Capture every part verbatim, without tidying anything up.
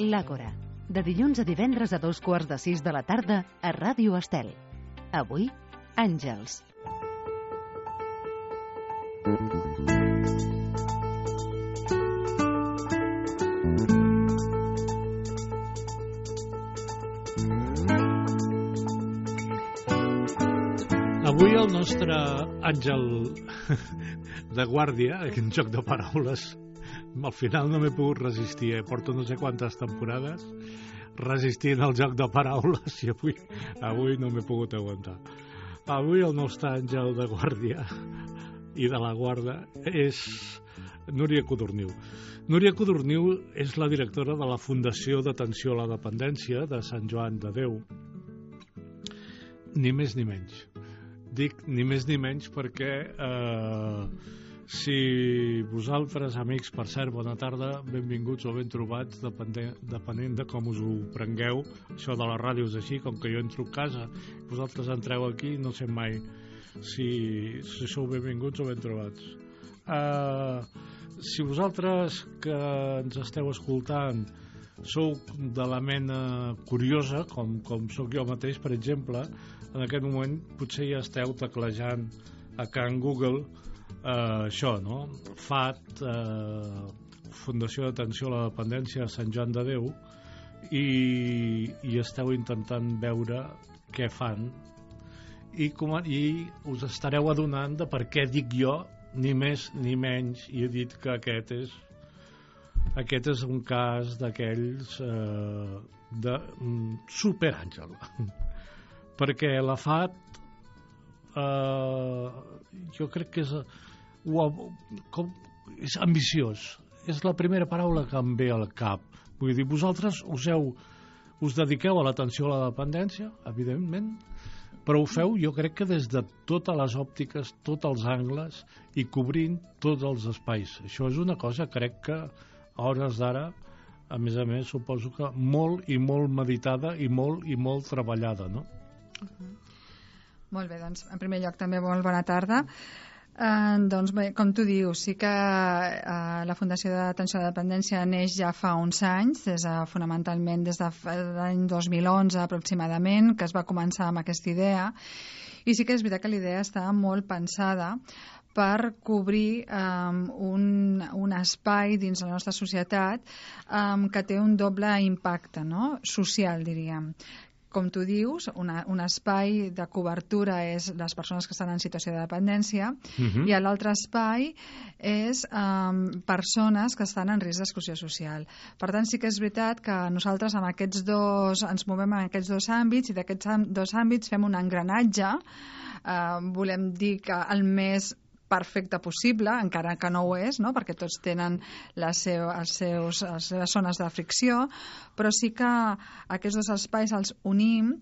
L'Àgora, de dilluns a divendres a dos quarts de sis de la tarda a Ràdio Estel. Avui, Àngels. Avui el nostre àngel de guàrdia, en joc de paraules, al final no m'he pogut resistir, eh? Porto no sé quantes temporades resistint al joc de paraules i avui, avui no m'he pogut aguantar. Avui el nostre àngel de guàrdia i de la guarda és Núria Codorniu. Núria Codorniu és la directora de la Fundació d'Atenció a la Dependència de Sant Joan de Déu. Ni més ni menys. Dic ni més ni menys perquè eh, si vosaltres, amics, per cert, bona tarda, benvinguts o ben trobats, depenent, depenent de com us ho prengueu. Això de la ràdio és així, com que jo entro a casa, vosaltres entreu aquí, no sé mai si, si sou benvinguts o ben trobats. Eh, si vosaltres que ens esteu escoltant sou de la mena curiosa, com, com sóc jo mateix, per exemple, en aquest moment potser ja esteu teclejant a Can Google eh, això, no? F A D, eh, Fundació d'Atenció a la Dependència de Sant Joan de Déu, i, i esteu intentant veure què fan i, com, i us estareu adonant de per què dic jo ni més ni menys, i he dit que aquest és Aquest és un cas d'aquells eh, de um, superàngel. Perquè la F A D eh, jo crec que és, uh, com, és ambiciós. És la primera paraula que em ve al cap. Vull dir, vosaltres us, heu, us dediqueu a l'atenció a la dependència, evidentment, però ho feu, jo crec que des de totes les òptiques, tots els angles i cobrint tots els espais. Això és una cosa, crec que a hores d'ara, a més a més, suposo que molt i molt meditada i molt i molt treballada, no? Uh-huh. Molt bé, doncs, en primer lloc també molt bona tarda. Eh, doncs bé, com tu dius, sí que eh, la Fundació d'Atenció a la Dependència neix ja fa uns anys, des de, fonamentalment des de l'any dos mil onze aproximadament, que es va començar amb aquesta idea, i sí que és veritat que l'idea està molt pensada per cobrir um, un, un espai dins la nostra societat um, que té un doble impacte, no? Social, diríem. Com tu dius, una, un espai de cobertura és les persones que estan en situació de dependència, uh-huh. i l'altre espai és um, persones que estan en risc d'exclusió social. Per tant, sí que és veritat que nosaltres amb aquests dos, ens movem en aquests dos àmbits, i d'aquests dos àmbits fem un engranatge, uh, volem dir que el més perfecte possible, encara que no ho és, no? Perquè tots tenen les, seu, els seus, les seves zones de fricció, però sí que aquests dos espais els unim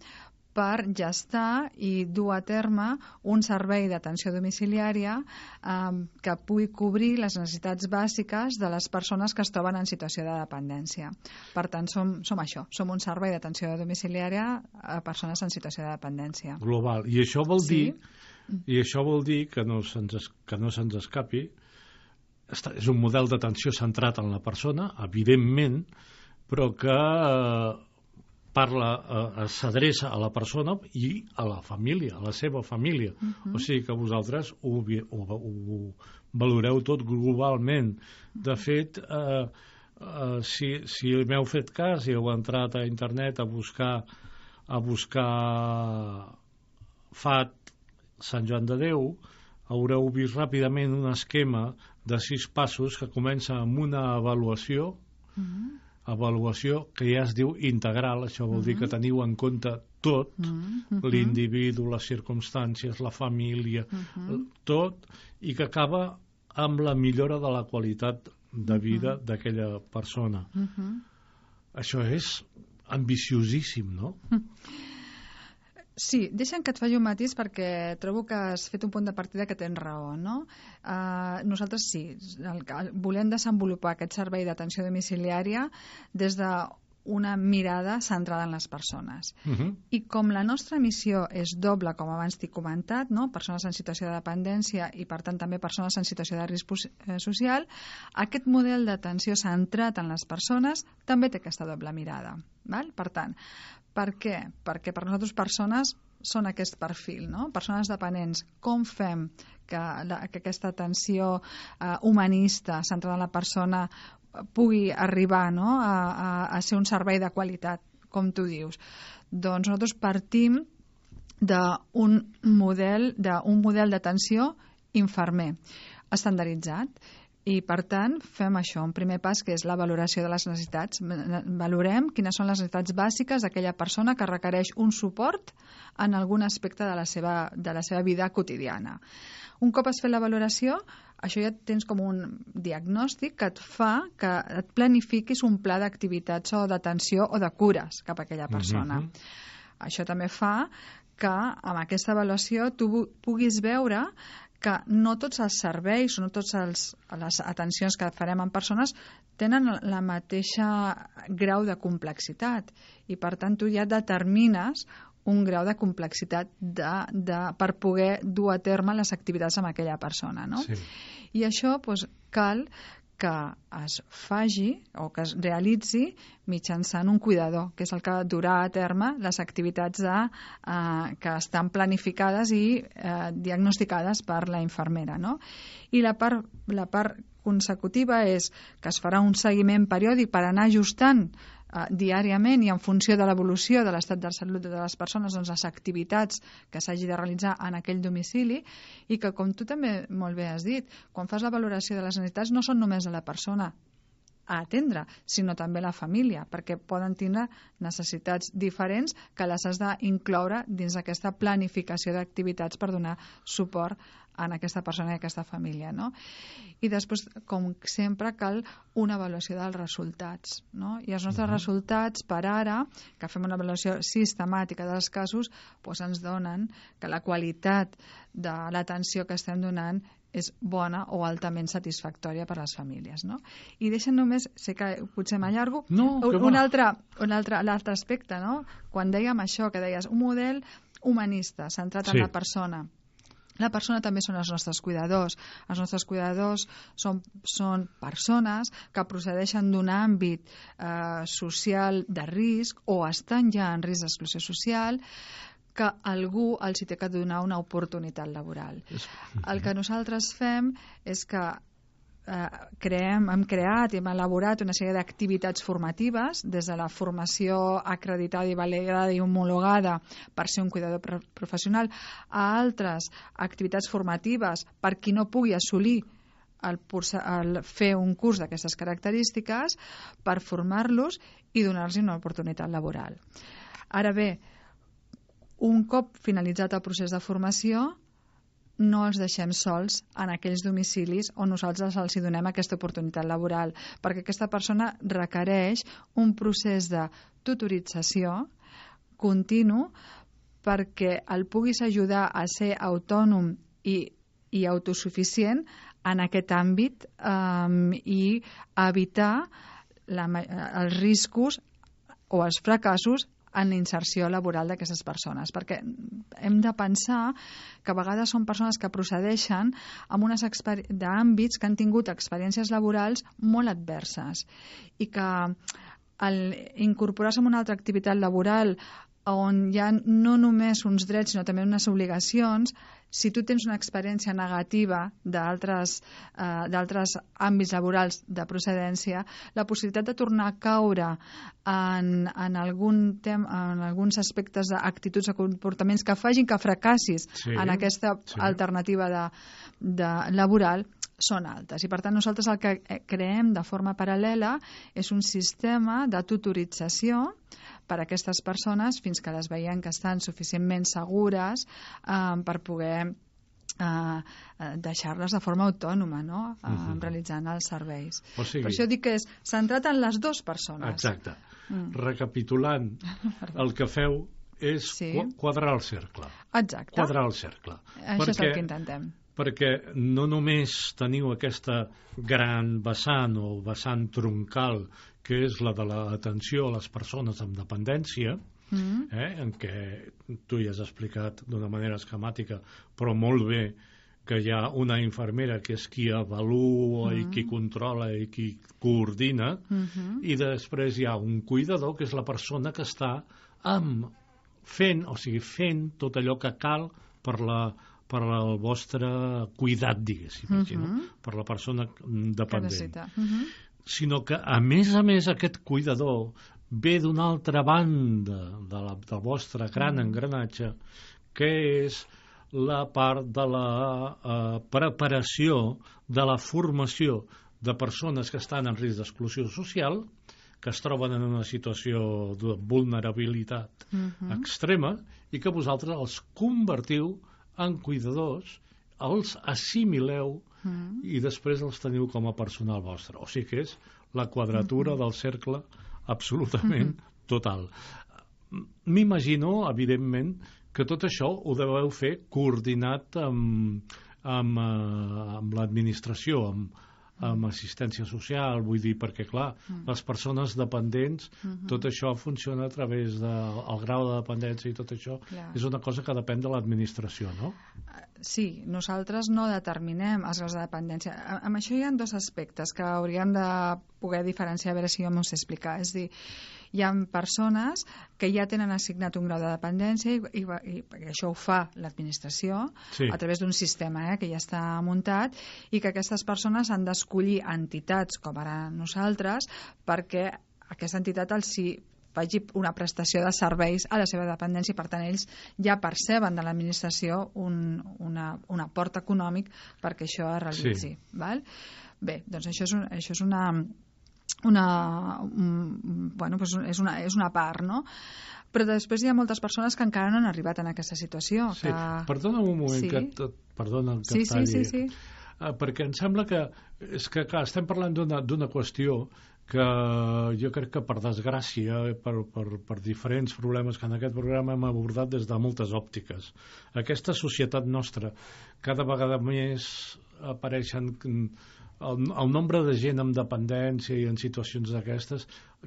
per gestar i dur a terme un servei d'atenció domiciliària eh, que pugui cobrir les necessitats bàsiques de les persones que es troben en situació de dependència. Per tant, som, som això, som un servei d'atenció domiciliària a persones en situació de dependència. Global. I això vol sí? dir I això vol dir que no se'ns que no se'ns escapi, és un model d'atenció centrat en la persona, evidentment, però que eh, parla, eh, s'adreça a la persona i a la família, a la seva família. Uh-huh. O sigui que vosaltres ho, ho, ho valoreu tot globalment. De fet, eh, eh, si, si m'heu fet cas i heu entrat a internet a buscar a buscar F A D Sant Joan de Déu, haureu vist ràpidament un esquema de sis passos que comença amb una avaluació, uh-huh. avaluació que ja es diu integral, això vol uh-huh. dir que teniu en compte tot, uh-huh. l'individu, les circumstàncies, la família, uh-huh. tot, i que acaba amb la millora de la qualitat de vida uh-huh. d'aquella persona. Uh-huh. Això és ambiciosíssim, no? Uh-huh. Sí, deixa'm que et faci un matís perquè trobo que has fet un punt de partida que tens raó, no? Uh, nosaltres sí, el, el, volem desenvolupar aquest servei d'atenció domiciliària des de una mirada centrada en les persones. Uh -huh. I com la nostra missió és doble, com abans t'he comentat, no? Persones en situació de dependència i, per tant, també persones en situació de risc social, aquest model d'atenció centrat en les persones també té aquesta doble mirada. Val? Per tant, per què? Perquè per nosaltres persones són aquest perfil, no? Persones dependents. Com fem que, la, que aquesta atenció eh, humanista centrada en la persona pugui arribar, no? a, a, a ser un servei de qualitat, com tu dius? Doncs nosaltres partim d'un model d'un model d'atenció infermer estandarditzat. I, per tant, fem això, un primer pas, que és la valoració de les necessitats. Valorem quines són les necessitats bàsiques d'aquella persona que requereix un suport en algun aspecte de la seva, de la seva vida quotidiana. Un cop has fet la valoració, això ja tens com un diagnòstic que et fa que et planifiquis un pla d'activitats o d'atenció o de cures cap a aquella persona. Mm-hmm. Això també fa que amb aquesta avaluació tu puguis veure que no tots els serveis o no totes les atencions que farem en persones tenen la mateixa grau de complexitat i, per tant, tu ja determines un grau de complexitat de, de, per poder dur a terme les activitats amb aquella persona, no? Sí. I això doncs, cal que es faci o que es realitzi mitjançant un cuidador, que és el que durà a terme les activitats de, eh, que estan planificades i eh, diagnosticades per la infermera, no? I la part, la part consecutiva és que es farà un seguiment periòdic per anar ajustant Uh, diàriament i en funció de l'evolució de l'estat de salut de les persones, doncs, les activitats que s'hagi de realitzar en aquell domicili, i que, com tu també molt bé has dit, quan fas la valoració de les necessitats no són només de la persona a atendre, sinó també la família, perquè poden tindre necessitats diferents que les has d'incloure dins d'aquesta planificació d'activitats per donar suport en aquesta persona i aquesta família, no? I després, com sempre, cal una avaluació dels resultats, no? I els nostres uh-huh. resultats, per ara, que fem una avaluació sistemàtica dels casos, doncs ens donen que la qualitat de l'atenció que estem donant és bona o altament satisfactòria per a les famílies, no? I deixen només, sé que potser m'allargo, no, un, un, altre, un altre, l'altre aspecte, no? Quan dèiem això, que deies un model humanista, centrat sí. en la persona. La persona també són els nostres cuidadors. Els nostres cuidadors són, són persones que procedeixen d'un àmbit eh, social de risc o estan ja en risc d'exclusió social, que algú els hi té que donar una oportunitat laboral. El que nosaltres fem és que eh, creem, hem creat i hem elaborat una sèrie d'activitats formatives, des de la formació acreditada i validada i homologada per ser un cuidador professional, a altres activitats formatives per qui no pugui assolir el, el fer un curs d'aquestes característiques, per formar-los i donar-los una oportunitat laboral. Ara bé, un cop finalitzat el procés de formació, no els deixem sols en aquells domicilis on nosaltres els donem aquesta oportunitat laboral, perquè aquesta persona requereix un procés de tutorització continu perquè el puguis ajudar a ser autònom i, i autosuficient en aquest àmbit um, i evitar la, els riscos o els fracassos en la inserció laboral d'aquestes persones, perquè hem de pensar que a vegades són persones que procedeixen amb unes d'àmbits que han tingut experiències laborals molt adverses i que al incorporar-se en una altra activitat laboral on hi ha no només uns drets sinó també unes obligacions, si tu tens una experiència negativa d'altres eh, d'altres àmbits laborals de procedència, la possibilitat de tornar a caure en, en, algun tem, en alguns aspectes d'actituds o comportaments que facin que fracassis sí, en aquesta sí. alternativa de, de laboral són altes. I per tant nosaltres el que creem de forma paral·lela és un sistema de tutorització per a aquestes persones fins que les veiem que estan suficientment segures eh, per poder eh, deixar-les de forma autònoma, no? eh, uh-huh. realitzant els serveis. O sigui, per això dic que és centrat en les dues persones. Exacte. Mm. Recapitulant, el que feu és sí. quadrar el cercle. Exacte. Quadrar el cercle. Això perquè, és el que intentem. perquè no només teniu aquesta gran vessant o vessant troncal que és la de l'atenció a les persones amb dependència, mm. eh, en què tu ja has explicat d'una manera esquemàtica, però molt bé, que hi ha una infermera que és qui avalua mm. i qui controla i qui coordina, mm-hmm. i després hi ha un cuidador que és la persona que està amb, fent, o sigui, fent tot allò que cal per la per al vostre cuidat, diguéssim, uh-huh. no? Per la persona dependent. Uh-huh. Sinó que, a més a més, aquest cuidador ve d'una altra banda de la, del vostre gran uh-huh. engranatge, que és la part de la uh, preparació, de la formació de persones que estan en risc d'exclusió social, que es troben en una situació de vulnerabilitat uh-huh. extrema, i que vosaltres els convertiu en cuidadors, els assimileu mm. i després els teniu com a personal vostre. O sigui que és la quadratura mm-hmm. del cercle absolutament mm-hmm. total. M'imagino, evidentment, que tot això ho deveu fer coordinat amb, amb, amb l'administració, amb, amb assistència social, vull dir, perquè, clar, mm. les persones dependents, mm-hmm. tot això funciona a través del de, grau de dependència i tot això, clar. És una cosa que depèn de l'administració, no? Sí, nosaltres no determinem els graus de dependència. Amb això hi ha dos aspectes que hauríem de poder diferenciar, a veure si jo m'ho sé explicar. És a dir, hi ha persones que ja tenen assignat un grau de dependència i, i, i, i això ho fa l'administració sí. a través d'un sistema eh, que ja està muntat, i que aquestes persones han d'escollir entitats com ara nosaltres perquè aquesta entitat els hi faci una prestació de serveis a la seva dependència, i per tant ells ja perceben de l'administració un, una, un aport econòmic perquè això es realitzi. Sí. Val? Bé, doncs això és, un, això és una una, un, bueno, pues és, una, és una part, no? Però després hi ha moltes persones que encara no han arribat en aquesta situació. Sí, que... perdona un moment, sí. que et, perdona que sí, et talli, sí, sí, sí. Uh, perquè em sembla que, és que clar, estem parlant d'una qüestió que jo crec que per desgràcia, per, per, per diferents problemes que en aquest programa hem abordat des de moltes òptiques. Aquesta societat nostra, cada vegada més apareixen... El, el nombre de gent amb dependència i en situacions d'aquestes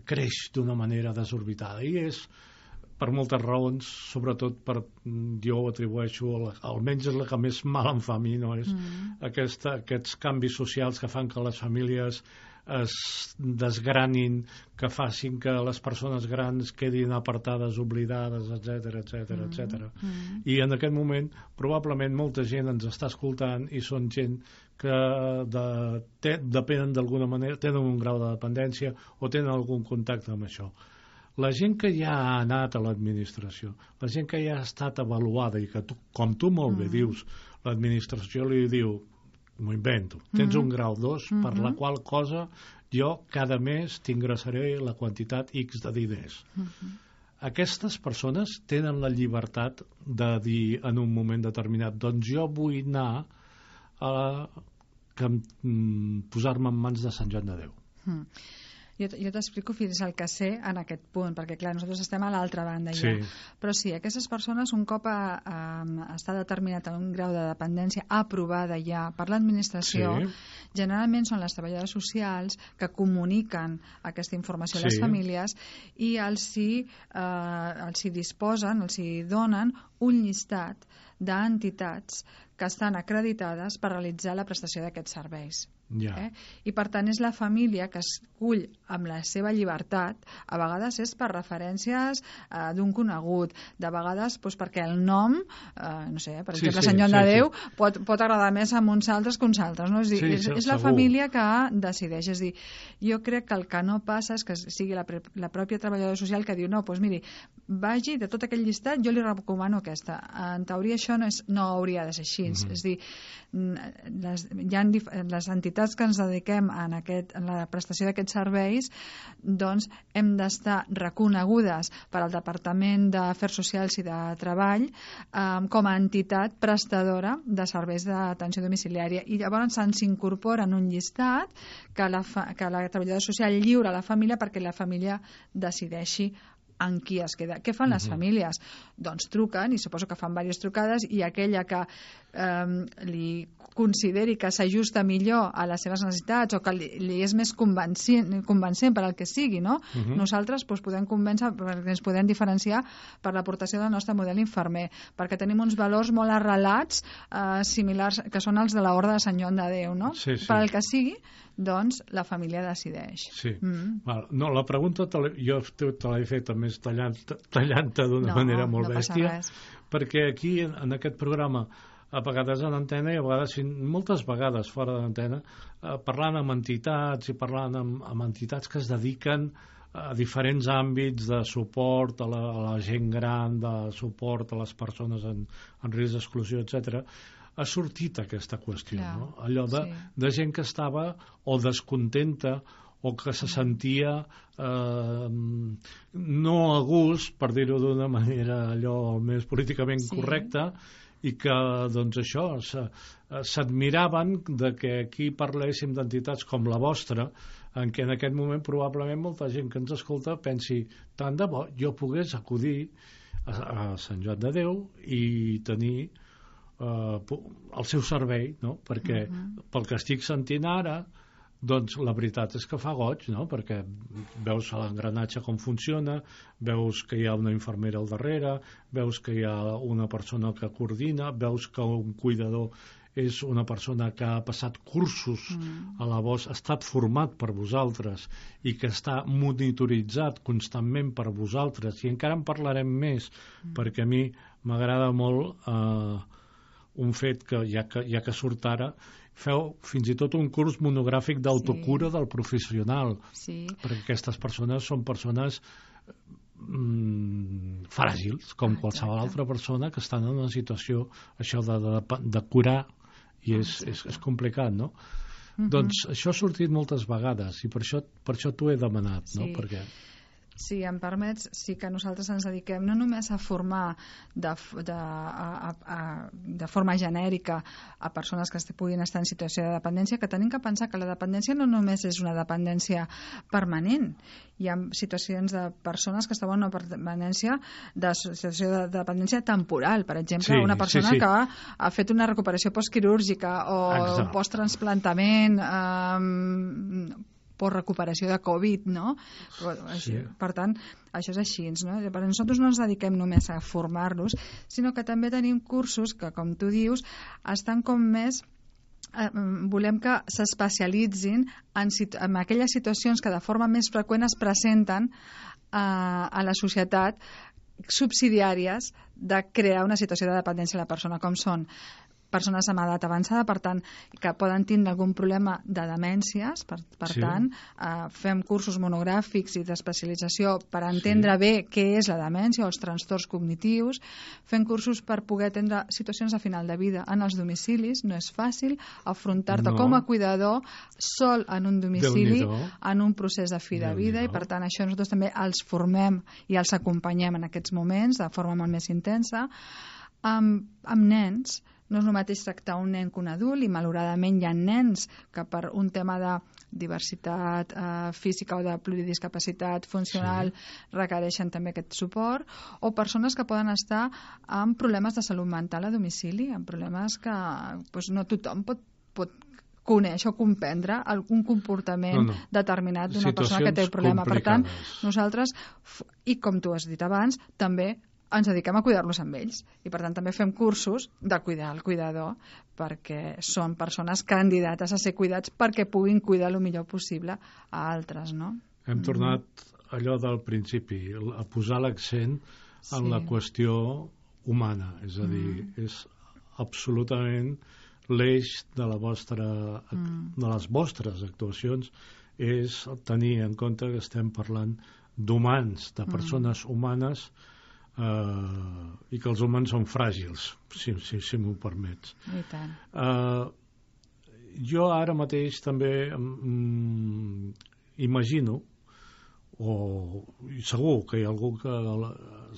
creix d'una manera desorbitada, i és per moltes raons, sobretot per, jo ho atribueixo, almenys és la que més mal em fa a mi, no? És mm. aquesta, aquests canvis socials que fan que les famílies es desgranin, que facin que les persones grans quedin apartades, oblidades, etcètera, etcètera, etcètera. Mm. I en aquest moment probablement molta gent ens està escoltant i són gent que de, te, depenen d'alguna manera, tenen un grau de dependència o tenen algun contacte amb això. La gent que ja ha anat a l'administració, la gent que ja ha estat avaluada i que, tu, com tu molt bé mm. dius, l'administració li diu, m'ho invento, tens mm-hmm. un grau dos, mm-hmm. per la qual cosa jo cada mes t'ingressaré la quantitat X de diners. Mm-hmm. Aquestes persones tenen la llibertat de dir en un moment determinat, doncs jo vull anar a que, mm, posar-me en mans de Sant Joan de Déu. Mm. Jo, jo t'explico fins al que sé en aquest punt, perquè clar, nosaltres estem a l'altra banda ja. Sí. Però sí, aquestes persones, un cop a, a, està determinat en un grau de dependència aprovada ja per l'administració, sí. generalment són les treballadores socials que comuniquen aquesta informació sí. a les famílies i els hi, eh, els hi disposen, els hi donen un llistat d'entitats que estan acreditades per realitzar la prestació d'aquests serveis. Ja. Eh? I per tant és la família que escull amb la seva llibertat, a vegades és per referències eh, d'un conegut, de vegades doncs, perquè el nom, eh, no sé, per sí, exemple, sí, Sant Joan sí, de Déu sí. pot, pot agradar més a uns altres que uns altres, no? És, dir, sí, és, és la família que decideix. És dir, jo crec que el que no passa és que sigui la, la pròpia treballadora social que diu, no, doncs miri, vagi de tot aquell llistat, jo li recomano aquesta. En teoria això no, és, no hauria de ser així. Mm-hmm. És dir, les, hi ha les entitats que ens dediquem en, aquest, en la prestació d'aquests serveis, doncs hem d'estar reconegudes per al Departament d'Afers Socials i de Treball eh, com a entitat prestadora de serveis d'atenció domiciliària, i llavors se'ns incorpora en un llistat que la, fa, que la treballadora social lliura a la família perquè la família decideixi en qui es queda. Què fan les famílies? Doncs truquen, i suposo que fan diverses trucades, i aquella que eh, li consideri que s'ajusta millor a les seves necessitats o que li, li és més convencent, convencent per al que sigui, no? Uh -huh. Nosaltres doncs, podem convèncer perquè ens podem diferenciar per l'aportació del nostre model infermer, perquè tenim uns valors molt arrelats eh, similars, que són els de l'Orde de Sant Joan de Déu, no? Sí, sí. Per al que sigui, doncs la família decideix. Sí. Mm. Val. No, la pregunta te jo te l'he fet més tallant-te tallant d'una no, manera molt no bèstia, perquè aquí en, en aquest programa a vegades en antena i a vegades, moltes vegades fora d'antena, eh, parlant amb entitats i parlant amb, amb entitats que es dediquen a diferents àmbits de suport a la, a la gent gran, de suport a les persones en, en risc d'exclusió, etcètera, ha sortit aquesta qüestió, Clar, no? Allò de, sí. de gent que estava o descontenta o que se sentia eh, no a gust, per dir-ho d'una manera allò més políticament sí. correcta, i que, doncs això, s'admiraven de que aquí parléssim d'entitats com la vostra, en què en aquest moment probablement molta gent que ens escolta pensi, tant de bo jo pogués acudir a, a Sant Joan de Déu i tenir eh, el seu servei, no? Perquè uh-huh. pel que estic sentint ara, doncs la veritat és que fa goig, no? Perquè veus l'engranatge com funciona, veus que hi ha una infermera al darrere, veus que hi ha una persona que coordina, veus que un cuidador és una persona que ha passat cursos mm. a la vostra, ha estat format per vosaltres i que està monitoritzat constantment per vosaltres, i encara en parlarem més, mm. perquè a mi m'agrada molt eh, un fet que ja, que ja que surt ara, feu fins i tot un curs monogràfic d'autocura sí. del professional, sí. perquè aquestes persones són persones mm, fràgils, com ah, qualsevol altra persona que estan en una situació això de, de, de curar, i és, ah, és, és complicat, no? Uh-huh. Doncs això ha sortit moltes vegades i per això, per això t'ho he demanat, sí. no? Perquè... Si em permets, sí que nosaltres ens dediquem no només a formar de, de, a, a, de forma genèrica a persones que puguin estar en situació de dependència, que tenim que pensar que la dependència no només és una dependència permanent. Hi ha situacions de persones que estaven en una dependència de situació de dependència temporal. Per exemple, sí, una persona sí, sí. que ha fet una recuperació postquirúrgica o Exacte. posttransplantament, eh, per recuperació de Covid, no? Sí. Per tant, això és així, no? Per nosaltres no ens dediquem només a formar-los, sinó que també tenim cursos que, com tu dius, estan com més... Eh, volem que s'especialitzin en, en aquelles situacions que de forma més freqüent es presenten eh, a la societat, subsidiàries de crear una situació de dependència a la persona, com són persones amb edat avançada, per tant, que poden tindre algun problema de demències, per, per sí. tant, eh, fem cursos monogràfics i d'especialització per entendre sí. bé què és la demència o els trastorns cognitius, fem cursos per poder atendre situacions de final de vida en els domicilis. No és fàcil afrontar-te no. com a cuidador sol en un domicili, en un procés de fi de vida, i per tant això nosaltres també els formem i els acompanyem en aquests moments de forma molt més intensa. Amb, amb nens, no és el mateix tractar un nen que un adult, i malauradament hi ha nens que per un tema de diversitat eh, física o de pluridiscapacitat funcional sí. requereixen també aquest suport, o persones que poden estar amb problemes de salut mental a domicili, amb problemes que doncs, no tothom pot, pot conèixer o comprendre algun comportament no, no. determinat d'una persona que té un problema. Complicades. Per tant, nosaltres, i com tu has dit abans, també ens dediquem a cuidar-los amb ells, i per tant també fem cursos de cuidar el cuidador, perquè són persones candidates a ser cuidats perquè puguin cuidar el millor possible a altres, no? Hem tornat allò del principi, a posar l'accent en sí. la qüestió humana, és a dir, mm. és absolutament l'eix de la vostra mm. de les vostres actuacions, és tenir en compte que estem parlant d'humans, de persones mm. humanes, Uh, i que els humans són fràgils, si, si, si m'ho permets. I tant. Uh, jo ara mateix també um, imagino, o segur que hi ha algú que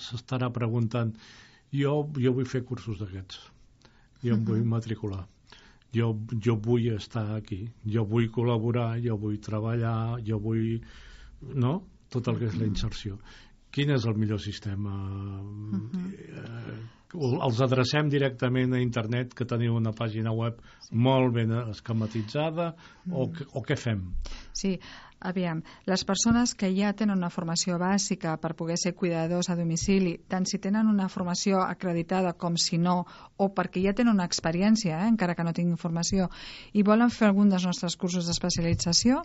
s'estarà preguntant, jo, jo vull fer cursos d'aquests, jo em uh-huh. vull matricular, jo, jo vull estar aquí, jo vull col·laborar, jo vull treballar, jo vull... no? Tot el que és la inserció. quin és el millor sistema. Uh-huh. eh, els adrecem directament a internet, que teniu una pàgina web sí. molt ben esquematitzada, uh-huh. o, o què fem? Sí, aviam, les persones que ja tenen una formació bàsica per poder ser cuidadors a domicili, tant si tenen una formació acreditada com si no, o perquè ja tenen una experiència, eh, encara que no tinguin formació, i volen fer algun dels nostres cursos d'especialització,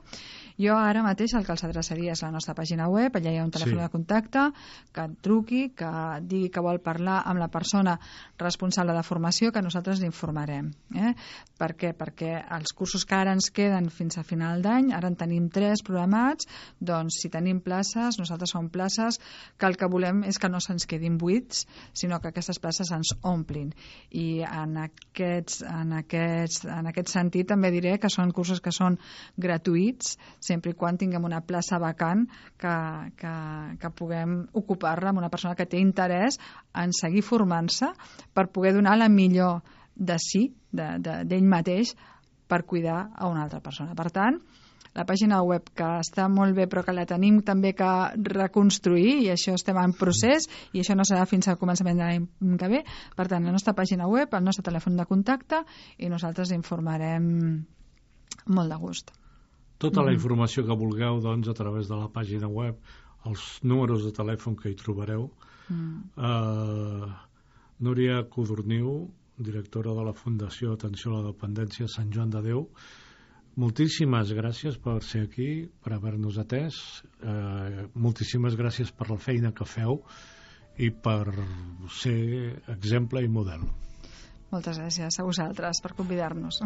jo ara mateix el que els adreçaria és la nostra pàgina web, allà hi ha un telèfon sí. de contacte, que et truqui, que digui que vol parlar amb la persona responsable de formació, que nosaltres l'informarem. Eh? Per què? Perquè els cursos que ara ens queden fins a final d'any, ara en tenim tres programats, doncs si tenim places, nosaltres som places que el que volem és que no se'ns quedin buits, sinó que aquestes places ens omplin. I en, aquests, en, aquests, en aquest sentit també diré que són cursos que són gratuïts, sempre i quan tinguem una plaça vacant que, que, que puguem ocupar-la amb una persona que té interès en seguir formant-se per poder donar la millor de si, d'ell de, de, mateix, per cuidar a una altra persona. Per tant, la pàgina web, que està molt bé però que la tenim també que reconstruir, i això estem en procés, i això no serà fins al començament de l'any que ve. Per tant, la nostra pàgina web, el nostre telèfon de contacte, i nosaltres informarem molt de gust. Tota la informació que vulgueu, doncs, a través de la pàgina web, els números de telèfon que hi trobareu. Mm. Uh, Núria Codorniu, directora de la Fundació Atenció a la Dependència Sant Joan de Déu, moltíssimes gràcies per ser aquí, per haver-nos atès, eh, moltíssimes gràcies per la feina que feu i per ser exemple i model. Moltes gràcies a vosaltres per convidar-nos.